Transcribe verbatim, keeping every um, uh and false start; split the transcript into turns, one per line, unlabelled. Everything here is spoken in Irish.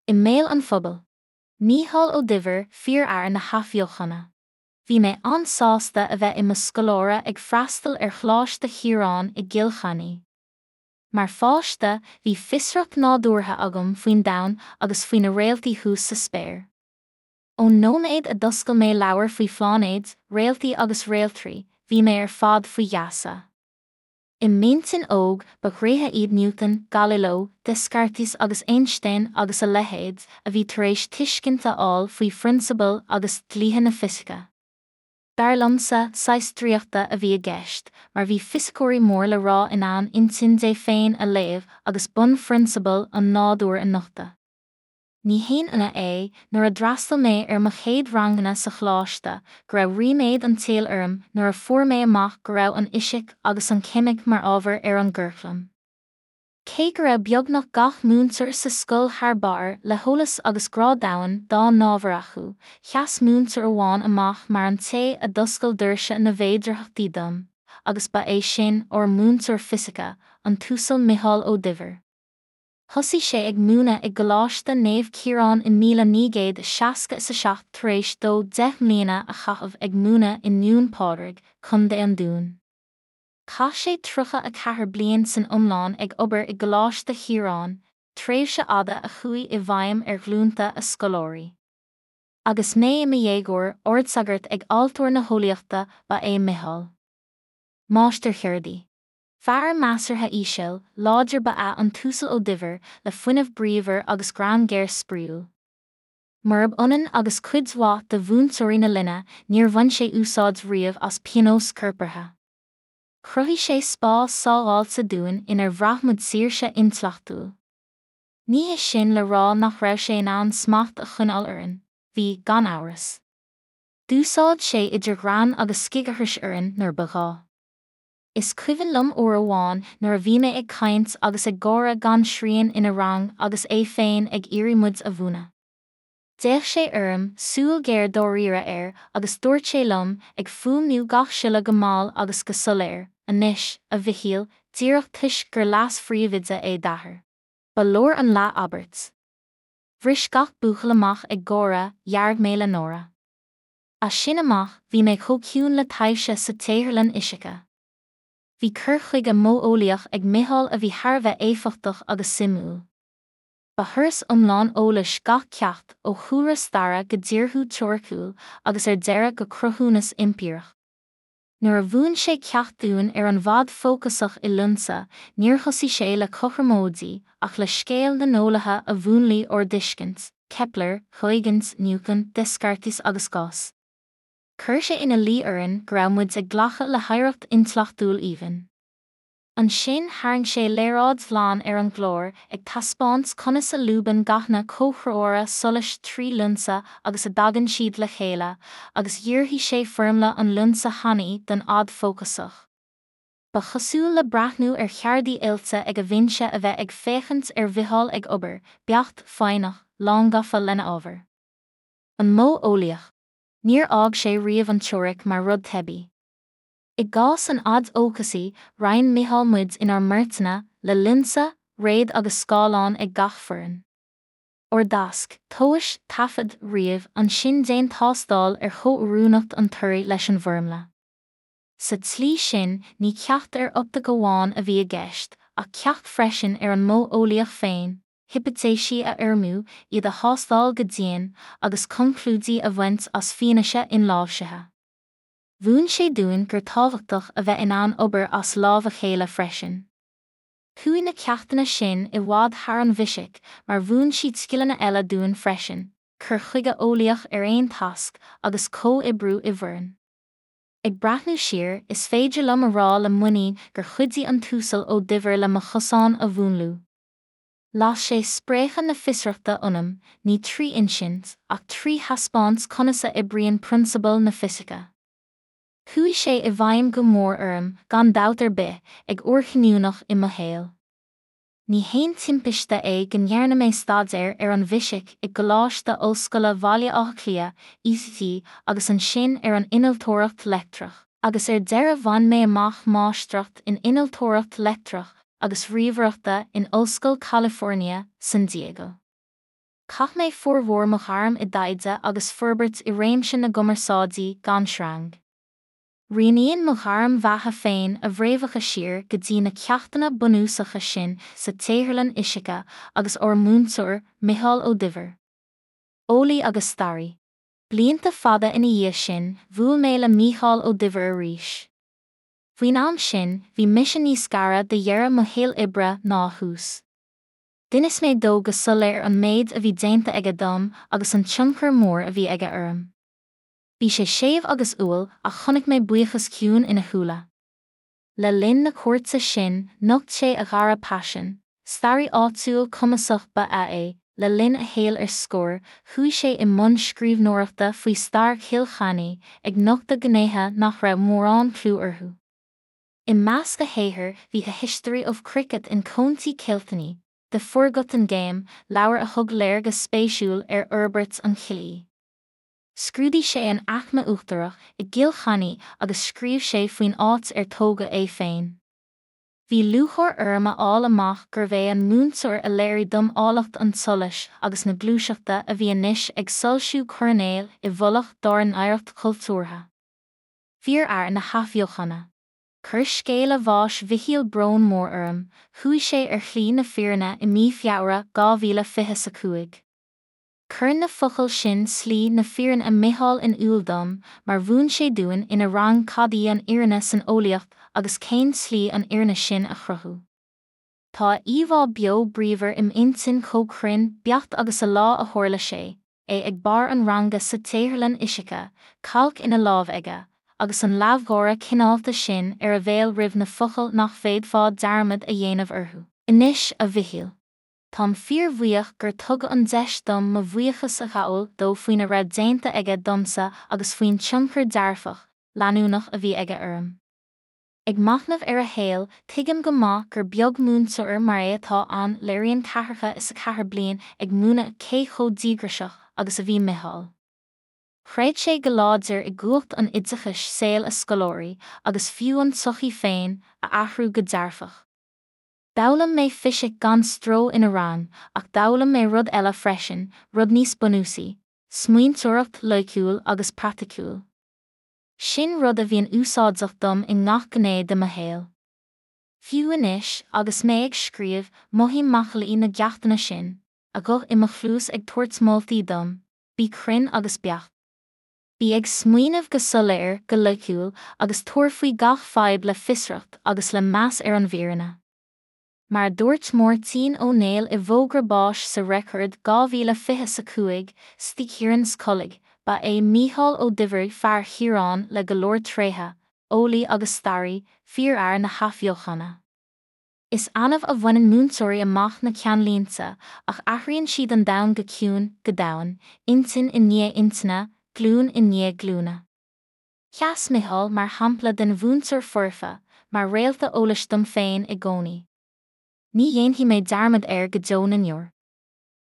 I mbéal an phobail. Mícheál Ó Duibhir, fíorfhear na hathbheochana. Bhí mé an-sásta a bheith i mo scoláire ag freastal ar Choláiste Chiaráin i gCill Chainnigh. Mar pháiste, bhí fiosracht nádúrtha agam faoin domhan agus faoi na réaltaí thuas sa spéir. Ón nóiméad a d'oscail mé leabhar faoi phláinéid, réaltaí agus réaltraí, bhí mé ar fad faoi gheasa. I m'intinn óg, ba dhraoithe iad Newton, Galileo, Descartes agus Einstein agus a leithéid, a bhí tar éis tuiscint a fháil faoi phrionsabail agus dlíthe na fisice. Dar liomsa, saghas draíochta a bhí i gceist, mar bhí fisiceoirí mór le rá in ann intinn Dé féin a léamh agus bunphrionsabail an nádúir a nochtadh. Ní haon ionadh é, nuair a d'fhreastail mé ar mo chéad ranganna sa choláiste, go raibh ríméad an tsaoil orm nuair a fuair mé amach go raibh an fhisic agus an cheimic mar ábhar ar an gcuraclam. Cé go raibh beagnach gach múinteoir sa scoil thar barr le heolas agus grá domhain dá n-ábhar acu, sheas múinteoir amháin amach mar an té a d'oscail doirse na bhféidearthachtaí dom, agus ba é sin ár múinteoir fisice, an tUasal Micheál Ó Duibhir. Thosaigh sé ag múineadh i gColáiste Naomh Ciarán i míle naoi gcéad seasca is a seacht tar éis dó deich mbliana a chaitheamh ag múineadh i nDún Pádraig, Contae an Dúin. Chaith sé tríocha a ceathair bliain san iomlán ag obair i gColáiste Chiaráin, tréimhse fhada a chuaigh i bhfeidhm ar ghlúnta a scoláirí. Agus mé i mo dhéagóir, ardsagart ag altóir na heolaíochta ba ea Micheál. Máistircheardaí. Fear measartha íseal, láidir ba ea an tUasal Ó Duibhir, le fuinneamh bríomhar agus greann géar spraíúil. Murab ionann agus cuid mhaith de mhúinteoirí na linne, níor bhain sé úsáid riamh as pionós corpartha. Chruthaigh sé spás sábháilte dúinn inar bhraith muid saoirse intleachtúil. Ní hé sin le rá nach raibh sé in ann smacht a choinneáil orainn, bhí, gan amhras. D'úsáid sé idir ghreann agus scigaithris orainn nuair ba ghá. Is cuimhin liom uair amháin nuair a bhí mé ag caint agus ag gáire gan srian ina rang agus é féin ag iarraidh muid a mhúineadh. D'fhéach sé orm, súil ghéar dáiríre air, agus dúirt sé liom, ag fuaimniú gach siolla go mall agus go soiléir, Anois, a Mhichíl, díreach toisc gur leas-phríomhoide é d'athair. Ba leor an leath-abairt. Bhris gach buachaill amach ag gáire, dhearg mé le náire. As sin amach, bhí mé chomh ciúin le taibhse sa tsaotharlann fhisice. Bhí cur chuige modheolaíoch ag Micheál a bhí thar a bheith éifeachtach agus suimiúil. Ba thuras iomlán eolais gach ceacht, ó chúlra staire go díorthú teoiriciúil agus ar deireadh go cruthúnas eimpíreach. Nuair a mhúin sé ceacht dúinn ar an bhfad fócasach i lionsa, níor thosaigh sé le cothromóidí ach le scéal na n-eolaithe a mhúnlaigh ár dtuiscint, Kepler, Huygens, Newton, Descartes agus Gauss. Chuir sé ina luí orainn go raibh muid ag glacadh le hoidhreacht intleachtúil aoibhinn. Ansin tharraing sé léaráid ghlan ar an gclár ag taispeáint conas a lúbann gathanna comhthreomhara solais trí lionsa agus a dtagann siad le chéile, agus dhíorthaigh sé foirmle an lionsa thanaí don fhad fócasach. Ba chosúil le breathnú ar cheardaí oilte ag a bhinse a bheith ag féachaint ar Mhicheál ag obair, beacht, foighneach, lángafa lena ábhar. An modh eolaíoch. Níor fhág sé riamh an teoiric mar rud teibí. I gcás an fhaid fhócasaigh, roinn Micheál muid inár mbeirteanna, le lionsa, réad agus scáileán ag gach foireann. Ár dtasc, tomhais, taifead, ríomh, ansin déan tástáil ar chomhoiriúnacht an toraidh leis an bhfoirmle. Sa tslí sin, ní ceacht ar optaic amháin a bhí i gceist, ach ceacht freisin ar an modh eolaíoch féin, hipitéisí a fhoirmiú, iad a thástáil go dian, agus conclúidí a bhaint as fianaise inláimhsithe. Mhúin sé dúinn gur tábhachtach a bheith in ann obair as lámh a chéile freisin. Chuaigh na ceachtanna sin i bhfad thar an bhfisic mar mhúin siad scileanna eile dúinn freisin, cur chuige eolaíoch ar aon tasc agus comhoibriú i bhfoireann. Ag breathnú siar, is féidir liom a rá le muinín gur chuidigh an tUasal Ó Duibhir le mo chosán a mhúnlú. Las sé spréachadh na fiosrachta ionam, ní trí insint, ach trí thaispeáint conas a oibríonn prionsabail na fisice. Chuaigh sé i bhfeidhm go mór orm, gan dabht ar bith, ag uair chinniúnach i mo shaol. Ní haon timpiste é go ndearna mé staidéar ar an bhfisic i gColáiste Ollscoile Bhaile Átha Cliath, UCC, agus ansin ar an innealtóireacht leictreach, agus ar deireadh bhain mé amach máistreacht in innealtóireacht leictreach agus ríomhaireachta in Ollscoil California, San Diego. Chaith mé formhór mo ghairm i dtaighde agus forbairt i réimse na gcumarsáidí gan sreang. Rianaíonn mo ghairm bheatha féin a bhfréamhacha siar go dtí na ceachtanna bunúsacha sin sa tsaotharlann fhisice agus ár múinteoir, Micheál Ó Duibhir. Eolaí agus staraí. Blianta fada ina dhiaidh sin, bhuail mé le Mícheál Ó Duibhir arís. Faoin am sin, bhí mise níos gaire do dheireadh mo shaol oibre ná a thús. D'inis mé dó go soiléir an méid a bhí déanta aige dom agus an tionchar mór a bhí aige orm. Bhí sé séimh agus umhal ach chonaic mé buíochas ciúin ina shúile. Le linn na cuairte sin, nocht sé a dhara paisean, staraí áitiúil cumasach ba ea é, le linn a shaoil ar scor, chuaigh sé i mbun scríbhneoireachta faoi stair Chill Chainnigh, ag nochtadh gnéithe nach raibh mórán clú orthu. I measc a shaothair bhí A History of Cricket in County Kilkenny, The Forgotten Game, leabhar a thug léargas spéisiúil ar fhorbairt an chluiche. Scrúdaigh sé an aicme uachtarach i gCill Chainnigh agus scríobh sé faoin áit ar tógadh é féin. Bhí lúcháir orm a fháil amach gurbh é an múinteoir a léirigh dom áilleacht an tsolais agus na gluaiseachta a bhí anois ag soilsiú coirnéil i bhfolach dár n-oidhreacht chultúrtha. Fíorfhear na hathbheochana. Chuir scéala bháis Mhichíl brón mór orm, chuaigh sé ar shlí na fírinne i mí Feabhra dhá mhíle fiche a cúig. Cuireann na focail sin slí na fírinne Micheál in iúl dom, mar mhúin sé dúinn ina rang cad í an fhírinne san eolaíocht agus cén tslí an fhírinne sin a chruthú. Tá a íomhá beo bríomhar im intinn chomh cruinn beacht agus a lá a tharla sé, é ag barr an ranga sa tsaotharlann fhisice, cailc ina lámh aige, agus an leamhgháire cineálta sin ar a bhéal roimh na focail nach bhféadfá dearmad a dhéanamh orthu. Anois, a Mhichíl. Táim fíorbhuíoch gur tugadh an deis dom mo bhuíochas a ghabháil dó faoina raibh déanta aige domsa agus faoin tionchar dearfach, leanúnach a bhí aige orm. Ag machnamh ar a shaol, tuigim go maith gur beag múinteoir mar é atá ann léiríonn ceathracha is a ceathair bliain ag múineadh cé chomh díograiseach agus a bhí Micheál. Chreid sé go láidir i gcumhacht an oideachais saol a scoláirí, agus fiú an tsochaí féin, a athrú go dearfach. D'fhoghlaim mé fisic gan stró ina rang, ach d'fhoghlaim mé rud eile freisin, rud níos bunúsaí, smaointeoireacht loighciúil agus praiticiúil. Sin rud a bhíonn úsáideach dom i ngach gné de mo shaol. Fiú anois, agus mé ag scríobh, mothaím macallaí na gceachtanna sin, a ghuth i mo chluas ag tabhairt moltaí dom, bí cruinn agus beacht. Bí ag smaoineamh go soiléir, go loighciúil, agus tabhair faoi gach fadhb le fiosracht agus le meas ar an bhfírinne. Mar a dúirt Máirtín Ó Néill i bhfógra báis sa Record dhá mhíle fiche a cúig, St Kieran's College, ba é Mícheál Ó Duibhir fear Chiaráin le go leor tréithe, eolaí agus staraí, fíorfhear na hathbheochana. Is annamh a bhaineann múinteoirí amach na ceannlínte, ach athraíonn siad an domhan go ciúin, go domhain, intinn i ndiaidh intinne, glúin i ndiaidh glúine. Sheas Micheál mar shampla den mhúinteoir foirfe, mar réalta eolais dom féin i gcónaí. Ní dhéanfaidh mé dearmad air go deo na ndeor.